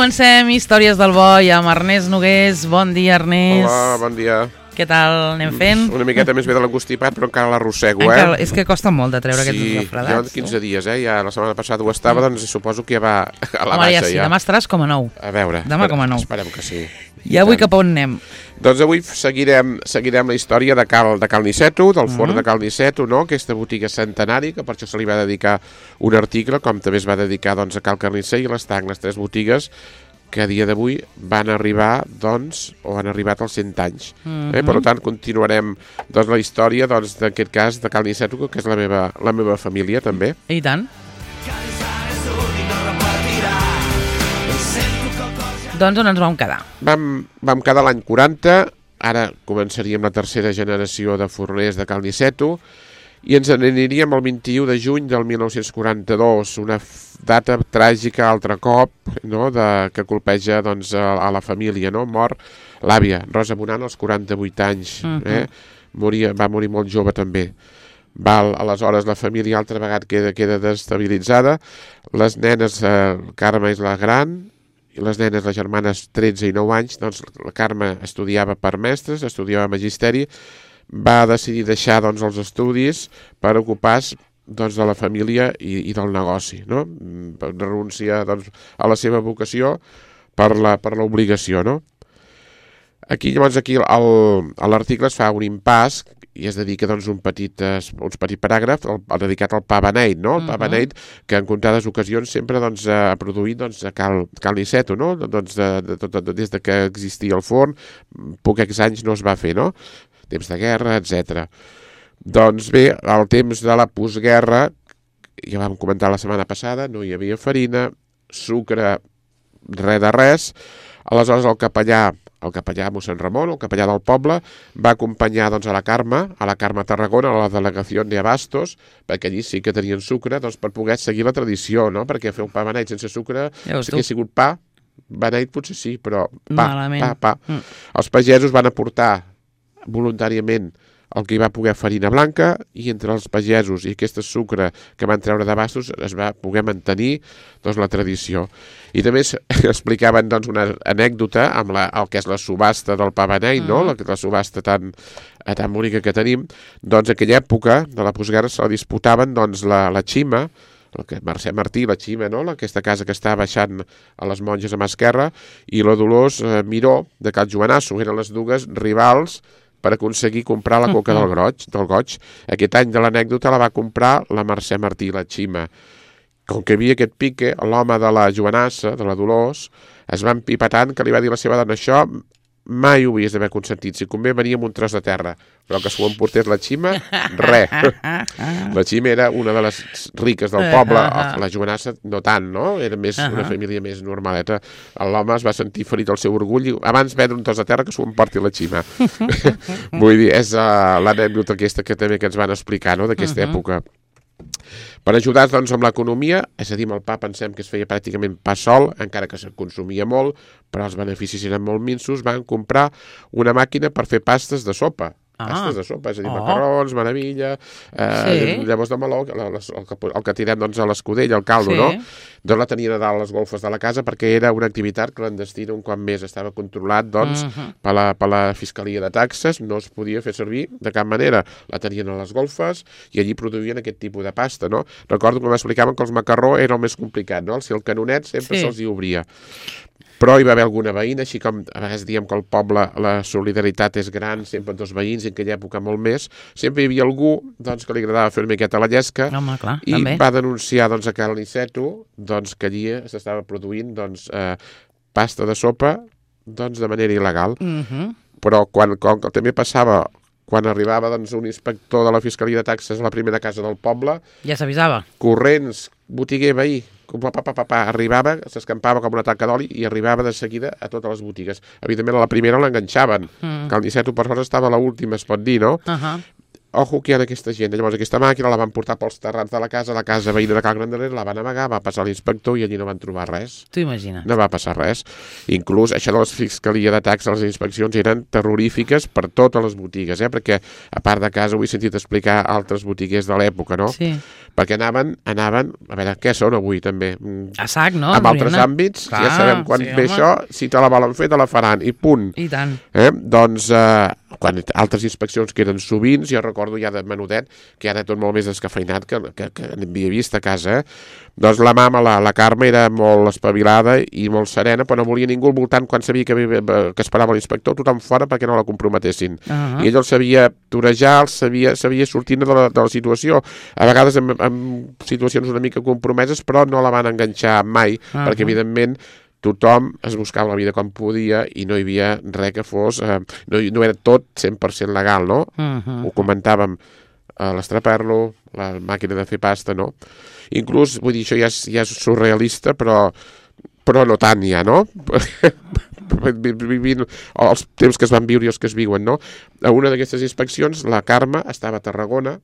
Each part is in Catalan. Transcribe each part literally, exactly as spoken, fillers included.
Comencem Històries del Boi amb Ernest Nogués. Bon dia, Ernest. Hola, bon dia. Què tal anem fent? Una miqueta més bé de l'engostipat, però encara l'arrossego, eh? Encara, és que costa molt de treure sí, aquests refredats. Sí, jo quinze dies, eh? Ja la setmana passada ho estava, doncs suposo que ja va a la Home, baixa. ja sí, ja. demà estaràs com a nou. A veure, demà com a nou. Esperem que sí. I avui cap a on anem? Doncs avui seguirem, seguirem la història de Cal, de Cal Niceto, del forn Mm. de Cal Niceto, no? Aquesta botiga centenari, que per això se li va dedicar un article, com també es va dedicar doncs, a Cal Carnisser i l'Estanc, les tres botigues que a dia d'avui van arribar, doncs, o han arribat als cent anys. Mm-hmm. eh? Per tant, continuarem doncs, la història, doncs, d'aquest cas de Cal Niceto, que és la meva, la meva família, també. I tant. Doncs on ens vam quedar? Vam, vam quedar l'any quaranta, ara començaríem la tercera generació de forners de Cal Niceto, i ens n'aniríem el vint-i-u de juny del mil nou-cents quaranta-dos, una data tràgica altre cop, no?, de, que colpeja doncs, a, a la família, no? Mor l'àvia, Rosa Bonant, als quaranta-vuit anys, Uh-huh. eh? Moria, va morir molt jove també. Val, aleshores la família altra vegada queda, queda destabilitzada, les nenes, eh, Carme és la gran, i les nenes, les germanes, tretze i nou anys, doncs la Carme estudiava per mestres, estudiava magisteri, va decidir deixar doncs, els estudis per ocupar-se doncs, de la família i, i del negoci, no? Renuncia doncs, a la seva vocació per la, per l'obligació, no? Aquí, llavors, aquí el, a l'article es fa un impàs i es dedica doncs, un petit, un petit paràgraf el, el dedicat al pa beneit, no? El pa beneit que en comptades ocasions sempre doncs, ha produït doncs, a Cal, Cal Niceto, no? Doncs, de, de, de, de, des de que existia el forn, pocs anys no es va fer, no? Temps de guerra, etcètera. Doncs bé, al temps de la postguerra, ja vam comentar la setmana passada, no hi havia farina, sucre, res de res. Aleshores el capellà, el capellà mossèn Ramon, el capellà del poble, va acompanyar doncs, a la Carme, a la Carme Tarragona, a la delegació de Abastos, perquè allí sí que tenien sucre, doncs per poder seguir la tradició, no? Perquè fer un pa beneit sense sucre, ja si hagués sigut pa, beneit potser sí, però pa, Malament. pa, pa. Mm. Els pagesos van aportar voluntàriament el que hi va poder farina blanca i entre els pagesos i aquest sucre que van treure d'abastos es va poder mantenir doncs, la tradició. I també explicaven doncs, una anècdota amb la, el que és la subhasta del pa beneit, no? la, la subhasta tan, tan bonica que tenim. Doncs aquella època de la postguerra se la disputaven doncs, la, la Xima, el que Mercè Martí, la Xima, no? aquesta casa que està baixant a les monges a mà esquerra, i la Dolors eh, Miró de Cal Joanasso, eren les dues rivals per aconseguir comprar la coca del Goig, del Goig. Aquest any de l'anècdota la va comprar la Mercè Martí, la Xima. Com que hi havia aquest pique, l'home de la Joanassa, de la Dolors, es va empipar tant que li va dir a la seva dona, això mai ho havies d'haver consentit, si convé venia amb un tros de terra, però que s'ho emportés la Xima, res. La Xima era una de les riques del poble, la Joanassa no tant, no? Era més una família més normaleta. L'home es va sentir ferit el seu orgull i abans vendre un tros de terra que s'ho emporti la Xima. Vull dir, és uh, l'anècdota aquesta que també que ens van explicar, no?, d'aquesta uh-huh. època. Per ajudar doncs, amb l'economia, és a dir, amb el pa pensem que es feia pràcticament pa sol, encara que se'n consumia molt, però els beneficis eren molt minsos, van comprar una màquina per fer pastes de sopa. Ah. Pastes de sopa, és a dir, oh. macarrons, meravella, eh, sí. llavors de meló, el, el, que, el que tirem doncs, a l'escudella, el caldo, sí. no? Doncs la tenien a dalt les golfes de la casa perquè era una activitat clandestina, un cop més estava controlat doncs, uh-huh. per, la, per la Fiscalia de Taxes, no es podia fer servir de cap manera. La tenien a les golfes i allí produïen aquest tipus de pasta, no? Recordo que m'explicaven que els macarró era el més complicat, no? Si el canonet sempre sí. se'ls hi obria. Però hi va haver alguna veïna, així com a vegades diem que al poble la solidaritat és gran, sempre dos veïns, en aquella època molt més, sempre hi havia algú doncs, que li agradava fer una miqueta la llesca. Home, clar, i també. Va denunciar doncs, a Cal Niceto doncs, que allí s'estava produint doncs, eh, pasta de sopa doncs, de manera il·legal. Uh-huh. Però quan, quan també passava, quan arribava doncs, un inspector de la Fiscalia de Taxes a la primera casa del poble, ja s'avisava. Corrents, botiguer, veí, pa, pa, pa, pa, arribava, s'escampava com una taca d'oli i arribava de seguida a totes les botigues. Evidentment, a la primera l'enganxaven. Mm. Cal Niceto, per sort, estava a l'última, es pot dir, no? Uh-huh. ojo que hi ha aquesta gent. Llavors aquesta màquina la van portar pels terrats de la casa, la casa veïna de Cal Granderer, la van amagar, va passar l'inspector i allí no van trobar res. T'ho imagines. No va passar res. Inclús això de la fiscalia de taxes, les inspeccions eren terrorífiques per totes les botigues, eh? Perquè a part de casa ho he sentit explicar altres botiguers de l'època, no? Sí. Perquè anaven, anaven, a veure, què són avui també? A sac, no? En altres àmbits, Clar, ja sabem quan sí, ve home. això, si te la volen fer, te la faran, i punt. I tant. Eh? Doncs, eh, quan altres inspeccions que eren sovint, jo recordo ja de menudet, que ara tot molt més descafeinat que, que, que havia vist a casa, eh? Doncs la mama, la, la Carme, era molt espavilada i molt serena, però no volia ningú al voltant quan sabia que, que esperava l'inspector, tothom fora perquè no la comprometessin. Uh -huh. I ell el sabia torejar, el sabia, sabia sortir de la, de la situació, a vegades en, en situacions una mica compromeses, però no la van enganxar mai, uh -huh. perquè evidentment tothom es buscava la vida com podia i no hi havia res que fos, eh, no, no era tot cent per cent legal, no? Uh -huh. Ho comentàvem, eh, l'estraperlo, la màquina de fer pasta, no? Inclús, vull dir, això ja és, ja és surrealista, però, però no tant ja, no? Vivint els temps que es van viure i els que es viuen, no? A una d'aquestes inspeccions, la Carme estava a Tarragona,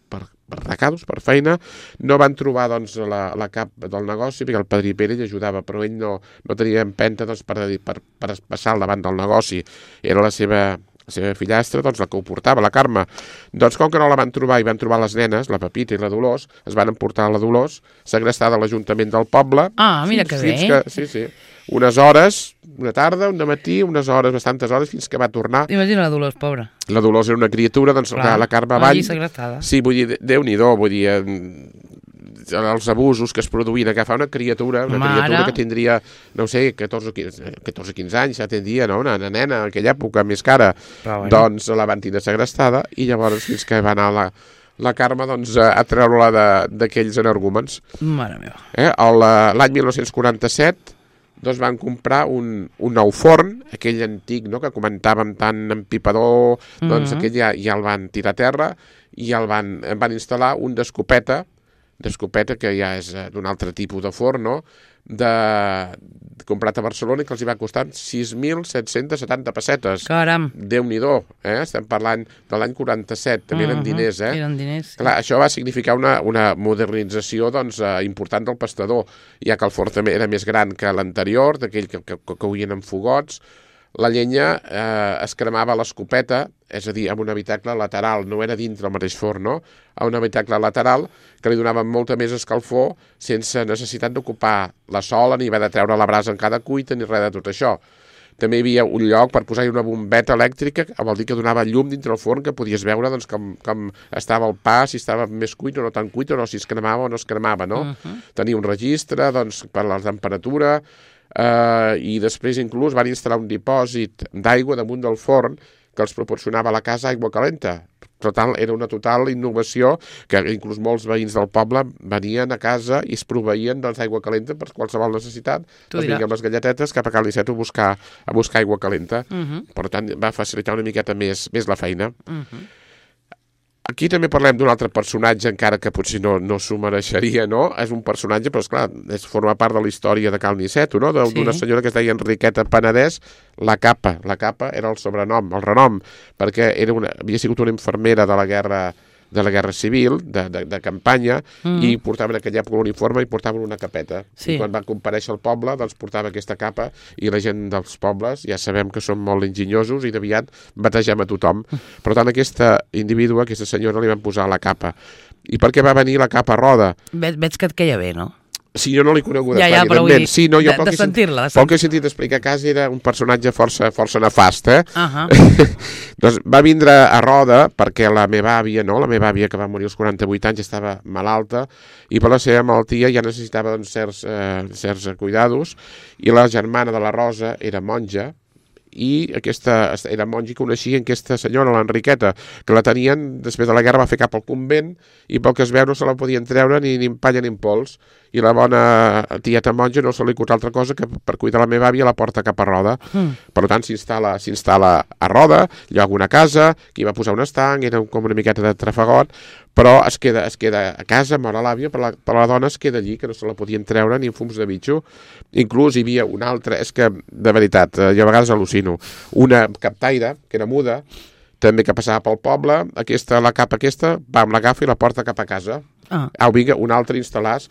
per, per recados, per feina, no van trobar doncs, la, la cap del negoci, perquè el padrí Pere ell ajudava, però ell no, no tenia empenta doncs, per, per, per passar al davant del negoci. Era la seva, la seva fillastra, doncs, la que ho portava, la Carme. Doncs com que no la van trobar i van trobar les nenes, la Pepita i la Dolors, es van emportar a la Dolors, segrestada a l'Ajuntament del poble. Ah, mira que bé. Que, sí, sí. Unes hores, una tarda, un matí, unes hores, bastantes hores, fins que va tornar. Imagina la Dolors, pobra. La Dolors era una criatura, doncs Clar, la Carme avall... Allí segrestada. Sí, vull dir, Déu-n'hi-do, vull dir, els abusos que es produïen, agafar una criatura, una Mare. criatura que tindria, no sé, catorze o quinze anys, ja tindria, no?, una, una nena, en aquella època, més cara. Bueno. Doncs la van tindre segrestada i llavors fins que va anar la... la Carme doncs, a treure-la d'aquells energúmens. Mare meva. Eh? L'any dinou quaranta-set doncs van comprar un, un nou forn, aquell antic, no?, que comentàvem tant empipador, doncs mm -hmm. aquell ja, ja el van tirar a terra i el van, van instal·lar un d'escopeta, d'escopeta que ja és d'un altre tipus de forn, no?, de, de comprat a Barcelona i que els hi va costar sis mil set-cents setanta pessetes. Caram. Déu-n'hi-do, eh? Estem parlant de l'any quaranta-set, també uh -huh. eren diners, eh? Eren diners, sí. Clar, això va significar una, una modernització doncs, eh, important del pastador, ja que el forn també era més gran que l'anterior, d'aquell que, que, que coïen amb fogots. La llenya eh, es cremava a l'escopeta, és a dir, amb un habitacle lateral, no era dintre el mateix forn, no? A un habitacle lateral que li donava molta més escalfor sense necessitat d'ocupar la sola, ni haver de treure la brasa en cada cuita, ni res de tot això. També hi havia un lloc per posar-hi una bombeta elèctrica, vol dir que donava llum dintre el forn, que podies veure doncs, com, com estava el pa, si estava més cuit o no tan cuit, o no, si es cremava o no es cremava, no? Uh -huh. Tenia un registre doncs, per la temperatura, Uh, i després inclús van instal·lar un dipòsit d'aigua damunt del forn que els proporcionava a la casa aigua calenta. Total, era una total innovació que inclús molts veïns del poble venien a casa i es proveïen doncs, aigua calenta per qualsevol necessitat. Doncs vinguem amb les galletetes cap a Cal Iceta a buscar, a buscar aigua calenta. Uh -huh. Per tant, va facilitar una miqueta més, més la feina. Uh -huh. Aquí també parlem d'un altre personatge, encara que potser no, no s'ho mereixeria, no? És un personatge, però esclar, és, forma part de la història de Cal Niceto, no? D'una sí. senyora que es deia Enriqueta Penedès, la Capa. La Capa era el sobrenom, el renom, perquè era una, havia sigut una infermera de la guerra de la Guerra Civil, de, de, de campanya, mm. i portaven en aquella època l'uniforme i portaven una capeta. Sí. I quan va comparèixer al poble, doncs portava aquesta capa, i la gent dels pobles ja sabem que són molt enginyosos i d'aviat bategem a tothom. Per tant, aquesta individua, aquesta senyora, li van posar la capa. I per què va venir la capa roda? Ve, veig que et queia bé, no? Sí, jo no l'he conegut, ja, ja, però vull dir, sí, no, jo, de, de sentir-la. Pel que he sentit explicar a casa era un personatge força, força nefast, eh? Uh -huh. Doncs va vindre a Roda perquè la meva àvia, no? La meva àvia, que va morir als quaranta-vuit anys, estava malalta i per la seva malaltia ja necessitava doncs, certs, eh, certs cuidados, i la germana de la Rosa era monja, i aquesta era monja i coneixien aquesta senyora, l'Enriqueta, que la tenien, després de la guerra va fer cap al convent i pel que es veu no se la podien treure ni, ni en palla ni en pols, i la bona tieta monja no se li acut altra cosa que per cuidar la meva àvia la porta cap a Roda. Mm. Per tant, s'instal·la s'instal·la a Roda, lloga una casa, que hi va posar un estanc, era com una miqueta de trafagot, però es queda, es queda a casa, mor a l'àvia, però la, però la dona es queda allí, que no se la podien treure ni en fums de bitxo. Inclús hi havia una altra, és que, de veritat, jo a vegades al·lucino, una captaire, que era muda, també que passava pel poble, aquesta, la capa aquesta, vam, l'agafa i la porta cap a casa. Ah. Au, vinga, un altre instal·lars.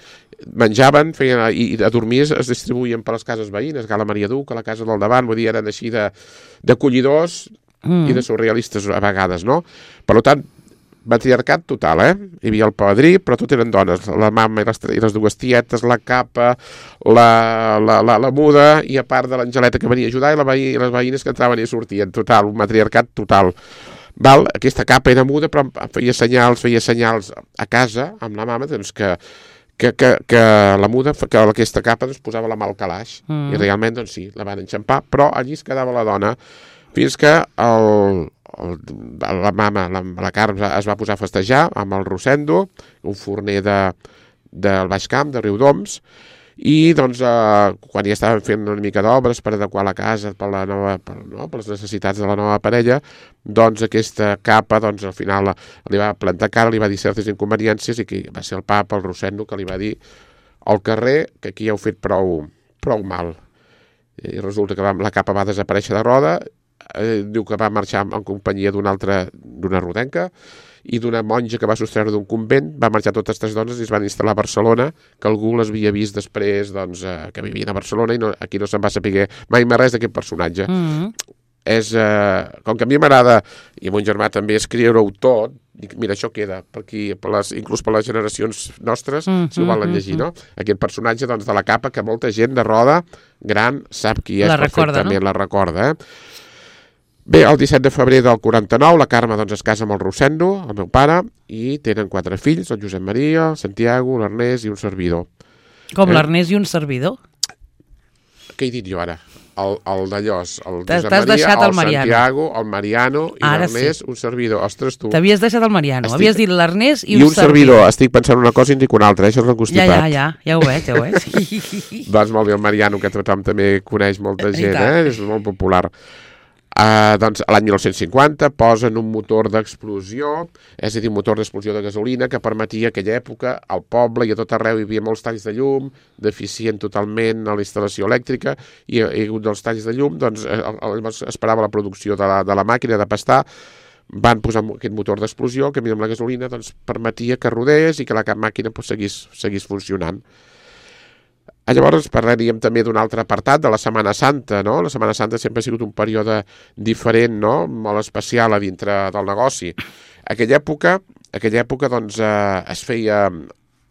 Menjaven, feien, i, i a dormir es, es distribuïen per les cases veïnes, a la Maria Duc, a la casa del davant, vull dir, eren així d'acollidors mm. i de surrealistes a vegades, no? Per tant, matriarcat total, eh? Hi havia el padrí, però tot eren dones, la mama i les, i les dues tietes, la capa, la, la, la, la muda, i a part de l'Angeleta que venia a ajudar, i, la veí, i les veïnes que entraven i sortien, total, un matriarcat total. Val? Aquesta capa era muda, però feia senyals, feia senyals a casa, amb la mama, doncs que Que, que, que la muda, que aquesta capa doncs, posava la mà al calaix, mm. i realment, doncs sí, la van enxampar, però allí es quedava la dona, fins que el, el, la mama, la, la Carme, es va posar a festejar amb el Rosendo, un forner de, del Baix Camp, de Riudoms, i doncs eh, quan ja estaven fent una mica d'obres per adequar la casa per, la nova, per, no, per les necessitats de la nova parella, doncs aquesta capa doncs, al final li va plantar cara, li va dir certes inconveniències, i que va ser el papa, el Rosendo, que li va dir al carrer que aquí heu fet prou, prou mal. I resulta que va, la capa va desaparèixer de roda, eh, diu que va marxar en companyia d'una altra, d'una rodenca, i d'una monja que va sostreure d'un convent, va marxar totes tres dones i es van instal·lar a Barcelona, que algú les havia vist després, doncs, eh, que vivien a Barcelona, i no, aquí no se'n va saber mai més res d'aquest personatge. Mm-hmm. És, eh, com que a mi m'agrada, i a mon germà també, escriure-ho tot, dic, mira, això queda, per aquí, per les, inclús per les generacions nostres, mm-hmm, si ho volen llegir, no? Aquest personatge, doncs, de la capa, que molta gent de roda gran sap qui és, la perfectament, recorda, no? La recorda, eh? Bé, el disset de febrer del quaranta-nou, la Carme doncs, es casa amb el Rosendo, el meu pare, i tenen quatre fills, el Josep Maria, el Santiago, l'Ernest i un servidor. Com eh? l'Ernest i un servidor? Què he dit jo ara? El, el d'allòs, el Josep Maria, deixat el, el Santiago, el Mariano i l'Ernest, sí. Un servidor. Ostres, tu... T'havies deixat el Mariano, estic... havies dit l'Ernest i, I un, un servidor. Estic pensant una cosa i en dic una altra, eh? Això és l'angostipat. Ja, ja, ja, ja ho veig, ja ho veig. Doncs molt bé, el Mariano, que tothom també coneix molta gent, eh? És molt popular. Uh, doncs l'any mil nou-cents cinquanta posen un motor d'explosió, és a dir, un motor d'explosió de gasolina que permetia a aquella època al poble i a tot arreu hi havia molts talls de llum, deficient totalment a la instal·lació elèctrica, i a hagut dels talls de llum, doncs llavors esperava la producció de la, de la màquina de pastar, van posar aquest motor d'explosió que amb la gasolina doncs, permetia que rodés i que la màquina doncs, seguís, seguís funcionant. Llavors parlaríem també d'un altre apartat de la Setmana Santa, no? La Setmana Santa sempre ha sigut un període diferent, no? Molt especial a dintre del negoci. Aquella època, aquella època doncs, eh, es feia...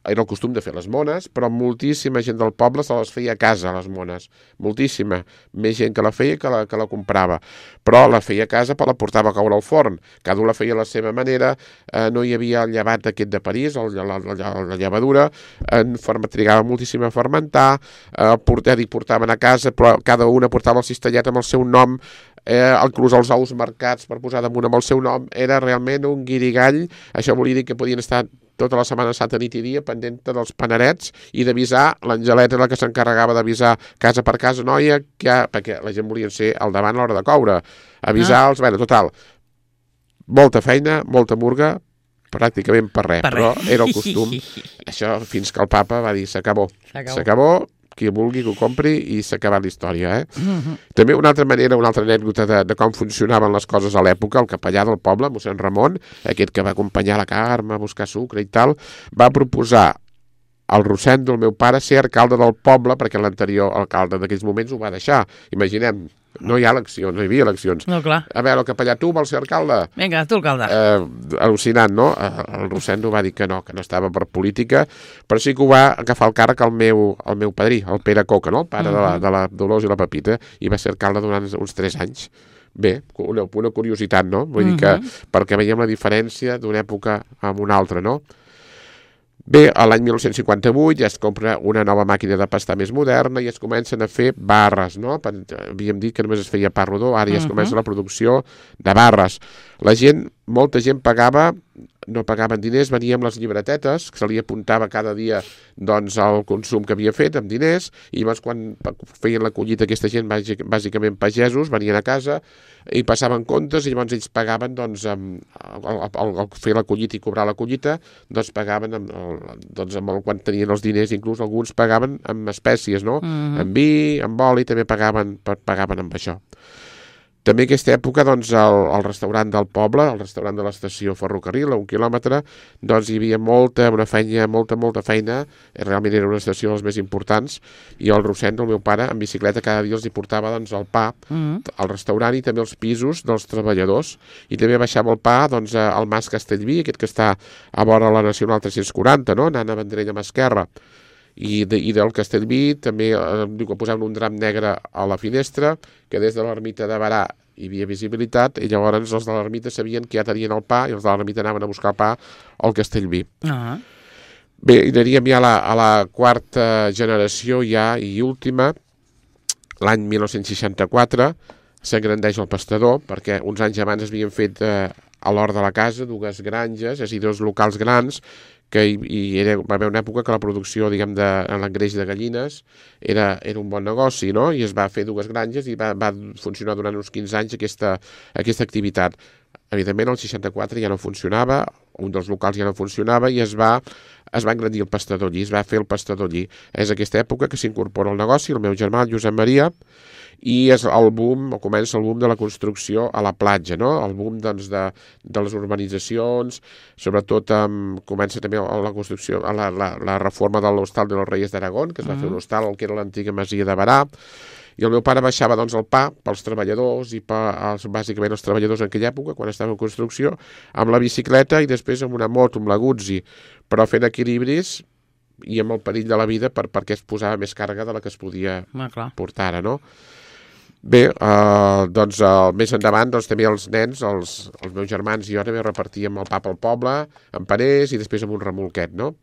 Era el costum de fer les mones, però moltíssima gent del poble se les feia a casa, les mones. Moltíssima. Més gent que la feia que la, que la comprava. Però la feia a casa, però la portava a caure al forn. Cada un la feia a la seva manera. Eh, no hi havia el llevat aquest de París, el, la, la, la llevadura. Eh, trigava moltíssim a fermentar. Eh, portar, dic, portaven a casa, però cada una portava el cistellet amb el seu nom. Eh, inclús els ous marcats per posar damunt amb el seu nom. Era realment un guirigall. Això volia dir que podien estar tota la Setmana Santa nit i dia pendent dels panarets i d'avisar, l'Angeleta era la que s'encarregava d'avisar casa per casa, noia, que, perquè la gent volia ser al davant a l'hora de coure, avisar-los, ah. Bé, total, molta feina, molta murga, pràcticament per res, per però res. Era el costum, això fins que el papa va dir, s'acabó, s'acabó, qui vulgui que ho compri i s'ha acabat la història. Eh? Uh-huh. També una altra manera, una altra anècdota de, de com funcionaven les coses a l'època, el capellà del poble, mossèn Ramon, aquest que va acompanyar la Carme a buscar sucre i tal, va proposar al Rosendo, el meu pare, ser alcalde del poble, perquè l'anterior alcalde d'aquells moments ho va deixar. Imaginem, no hi ha eleccions, no hi havia eleccions. No, clar. A veure, el capellà, tu vols ser alcalde? Vinga, tu alcalde. Eh, al·lucinant, no? El Rosendo va dir que no, que no estava per política, però sí que ho va agafar el càrrec al meu, al meu padrí, el Pere Coca, no? El pare uh-huh. de, la, de la Dolors i la Pepita, i va ser alcalde durant uns tres anys. Bé, una, una curiositat, no? Vull uh-huh. dir que, perquè veiem la diferència d'una època amb una altra, no? Bé, a l'any mil nou-cents cinquanta-vuit ja es compra una nova màquina de pastar més moderna i es comencen a fer barres, no? Havíem dit que només es feia pa rodó, ara ja es comença la producció de barres. La gent, molta gent pagava, no pagaven diners, venia amb les llibretetes, que se li apuntava cada dia doncs, el consum que havia fet amb diners, i llavors quan feien la collita aquesta gent, bàsicament pagesos, venien a casa i passaven comptes, i llavors ells pagaven, doncs, amb, al, al, al fer la collita i cobrar la collita, doncs pagaven amb, el, doncs, amb el, quan tenien els diners, inclús alguns pagaven amb espècies, no? Uh-huh. Amb vi, amb oli, també pagaven, pagaven amb això. També aquesta època, doncs, el, el restaurant del poble, el restaurant de l'estació ferrocarril, a un quilòmetre, doncs hi havia molta, una feina, molta, molta feina, realment era una estació de les més importants, i el Rosendo, el meu pare, en bicicleta cada dia els hi portava doncs, el pa mm. al restaurant i també els pisos dels treballadors, i també baixava el pa doncs, al Mas Castellví, aquest que està a vora la Nacional tres-cents quaranta, no? Anant a Vendrell a mà esquerra. I, de, i del Castellví també eh, diu que posaven un drap negre a la finestra, que des de l'ermita de Barà hi havia visibilitat, i llavors els de l'ermita sabien que ja tenien el pa, i els de l'ermita anaven a buscar el pa al Castellví. Uh-huh. Bé, i aniríem ja a la, a la quarta generació ja i última, l'any mil nou-cents seixanta-quatre, s'engrandeix el pastador, perquè uns anys abans es havien fet eh, a l'hort de la casa dues granges, és a dir, dos locals grans, que hi, hi era, va haver una època que la producció, diguem, de l'engreix de gallines era, era un bon negoci, no? I es va fer dues granges i va, va funcionar durant uns quinze anys aquesta, aquesta activitat. Evidentment, el seixanta-quatre ja no funcionava, un dels locals ja no funcionava i es va, es va engrandir el pastador allí, es va fer el pastador allí. És aquesta època que s'incorpora al negoci, el meu germà, el Josep Maria, i és el boom, o comença el boom de la construcció a la platja, no? El boom doncs, de, de les urbanitzacions, sobretot um, comença també la construcció, la, la, la reforma de l'Hostal de los Reyes d'Aragón, que es va uh-huh. fer un hostal, el que era l'antiga masia de Barà, i el meu pare baixava doncs, el pa pels treballadors i per, els, bàsicament els treballadors en aquella època, quan estava en construcció, amb la bicicleta i després amb una moto, amb la Guzzi, però fent equilibris i amb el perill de la vida per, perquè es posava més càrrega de la que es podia ah, portar ara, no? Bé, eh, doncs eh, més endavant doncs, també els nens, els, els meus germans i jo també repartíem el pa pel poble, en paners i després amb un remolquet, no?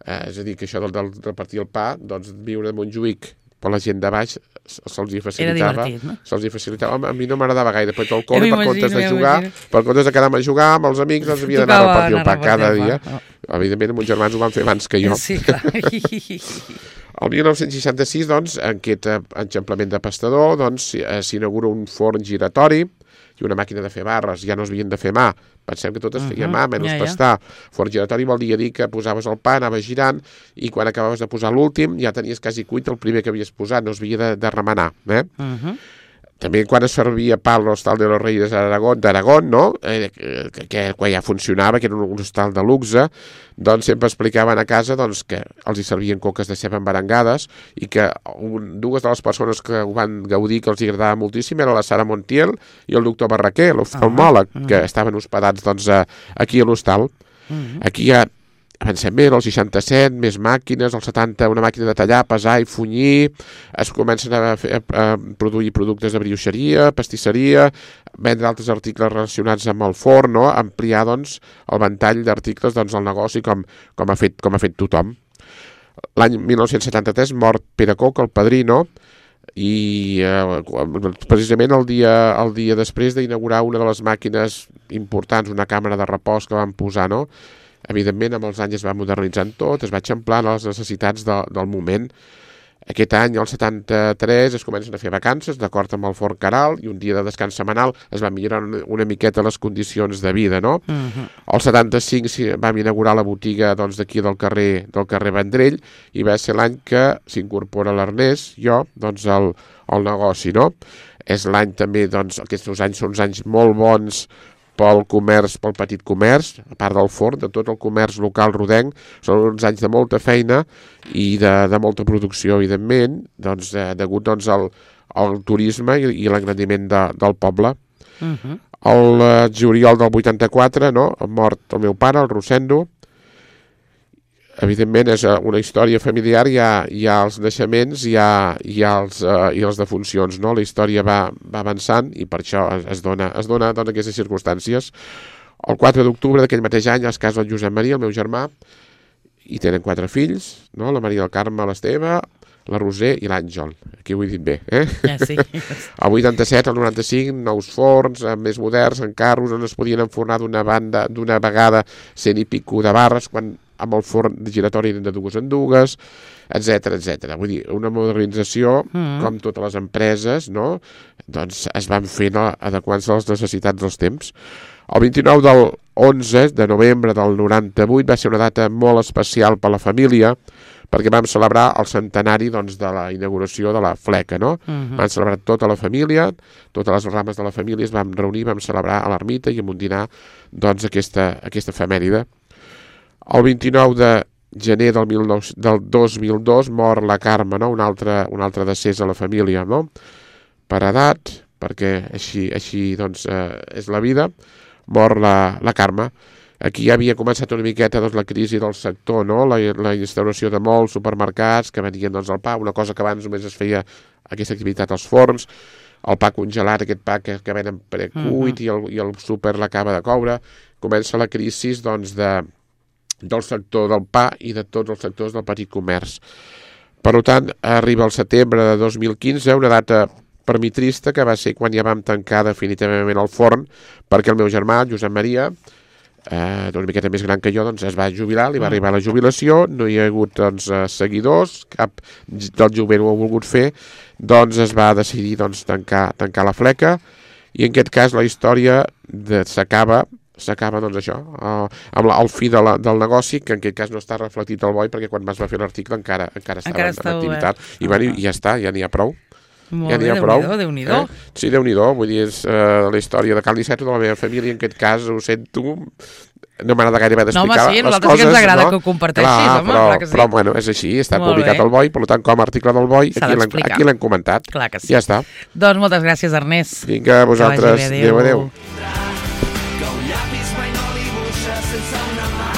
Eh, és a dir, que això del, del repartir el pa, doncs viure a Montjuïc per la gent de baix se'ls hi facilitava. Era divertit, no? Se'ls hi facilitava. A mi no m'agradava gaire, però el col·le, per comptes de jugar, per comptes de quedar-me a jugar amb els amics, doncs havia d'anar a repartir el pa cada dia. Oh. Evidentment, els germans ho van fer abans que jo. Sí, clar. El mil nou-cents seixanta-sis, doncs, en aquest enxamplament de pastador, doncs, s'inaugura un forn giratori i una màquina de fer barres. Ja no es havien de fer mà. Pensem que tot es feia uh-huh. mà, menys ja, ja. pastar. Forn giratori vol dir, dir que posaves el pa, anaves girant, i quan acabaves de posar l'últim ja tenies quasi cuit el primer que havies posat, no es havia de, de remenar. Eh? Uh-huh. També quan es servia pa a l'Hostal de los Reyes d'Aragón, no? Eh, que, que quan ja funcionava, que era un hostal de luxe, doncs sempre explicaven a casa doncs, que els hi servien coques de ceba embarangades i que un, dues de les persones que ho van gaudir, que els hi agradava moltíssim, era la Sara Montiel i el doctor Barraquer, l'oftalmòleg, uh-huh. que estaven hospedats doncs, aquí a l'hostal. Uh-huh. Aquí hi ha avancem bé, el seixanta-set, més màquines, el setanta, una màquina de tallar, pesar i funyir, es comencen a, fer, a produir productes de brioixeria, pastisseria, vendre altres articles relacionats amb el forn, no? Ampliar doncs, el ventall d'articles doncs, al negoci com, com, ha fet, com ha fet tothom. L'any mil nou-cents setanta-tres mort Pere Coc, el padrí, no? I eh, precisament el dia, el dia després d'inaugurar una de les màquines importants, una càmera de repòs que van posar, no? Evidentment, amb els anys es va modernitzant tot, es va eixamplant les necessitats de, del moment. Aquest any, el setanta-tres, es comencen a fer vacances, d'acord amb el Forn Caral, i un dia de descans setmanal es va millorar una, una miqueta les condicions de vida, no? Uh-huh. El setanta-cinc vam inaugurar la botiga doncs, d'aquí del carrer, del carrer Vendrell, i va ser l'any que s'incorpora l'Ernest, jo, doncs, al, al negoci, no? És l'any també, doncs, aquests anys són uns anys molt bons pel comerç, pel petit comerç, a part del forn, de tot el comerç local rodenc, són uns anys de molta feina i de, de molta producció, evidentment, doncs, eh, degut doncs, al, al turisme i, i l'engrandiment de, del poble. Uh-huh. El eh, juliol del vuitanta-quatre, no?, mort el meu pare, el Rosendo. Evidentment és una història familiar, hi ha, hi ha els naixements, hi ha, hi ha els, uh, i les defuncions, no? La història va, va avançant i per això es, es dona, es dona doncs, aquestes circumstàncies. El quatre d'octubre d'aquell mateix any es casa el Josep Maria, el meu germà, i tenen quatre fills, no? La Maria del Carme, l'Esteve, la Roser i l'Àngel. Aquí ho he dit bé, eh? Ja, sí. El vuitanta-set, el noranta-cinc, nous forns, més moderns, en carros, on es podien enfornar d'una banda, d'una vegada cent i pico de barres, quan amb el forn giratori de dues en dues, etcètera, etcètera. Vull dir, una modernització, mm. com totes les empreses, no? Doncs es van fer, no? Adequant-se a les necessitats dels temps. El vint-i-nou del onze de novembre del noranta-vuit va ser una data molt especial per la família, perquè vam celebrar el centenari doncs, de la inauguració de la fleca, no? Uh-huh. Vam celebrar tota la família, totes les rames de la família es vam reunir, vam celebrar a l'ermita i amb un dinar doncs, aquesta, aquesta efemèride. El vint-i-nou de gener del, mil nou, del dos mil dos mor la Carme, no? un, altre, un altre decés a la família, no? Per edat, perquè així, així doncs, eh, és la vida, mor la, la Carme. Aquí ja havia començat una miqueta doncs, la crisi del sector, no? la, la instauració de molts supermercats que venien doncs, el pa, una cosa que abans només es feia aquesta activitat als forns, el pa congelat, aquest pa que, que venen precuit uh-huh. i, el, i el súper l'acaba de coure. Comença la crisi doncs, de, del sector del pa i de tots els sectors del petit comerç. Per tant, arriba el setembre de dos mil quinze, una data per mi trista, que va ser quan ja vam tancar definitivament el forn, perquè el meu germà, Josep Maria, eh, una miqueta més gran que jo, doncs es va jubilar, li va arribar la jubilació, no hi ha hagut doncs, seguidors, cap del jovent ho ha volgut fer, doncs es va decidir doncs, tancar, tancar la fleca, i en aquest cas la història de, s'acaba s'acaba doncs això, eh, amb la, el fi de la, del negoci, que en aquest cas no està reflectit al B O I, perquè quan es va fer l'article encara, encara estava encara en activitat, obert. I, bueno, i ja està, ja n'hi ha prou. Molt ja bé, Déu-n'hi-do, Déu-n'hi-do. Eh? Sí, Déu-n'hi-do, vull dir, és uh, la història de Cal Niceto, de la meva família, en aquest cas, ho sento, no m'agrada gaire haver d'explicar no, home, sí, les coses. No, home, sí, a nosaltres sí que ens agrada no? que ho comparteixis, clar, home, però, clar que sí. Però, bueno, és així, està Molt publicat bé. al B O I, per tant, com a article del B O I, aquí l'hem comentat. Clar que sí. Ja està. Doncs moltes gràcies, Ernest. Vinga, a vosaltres. Adéu, adéu. Que un llapis mai no dibuixa sense una mà.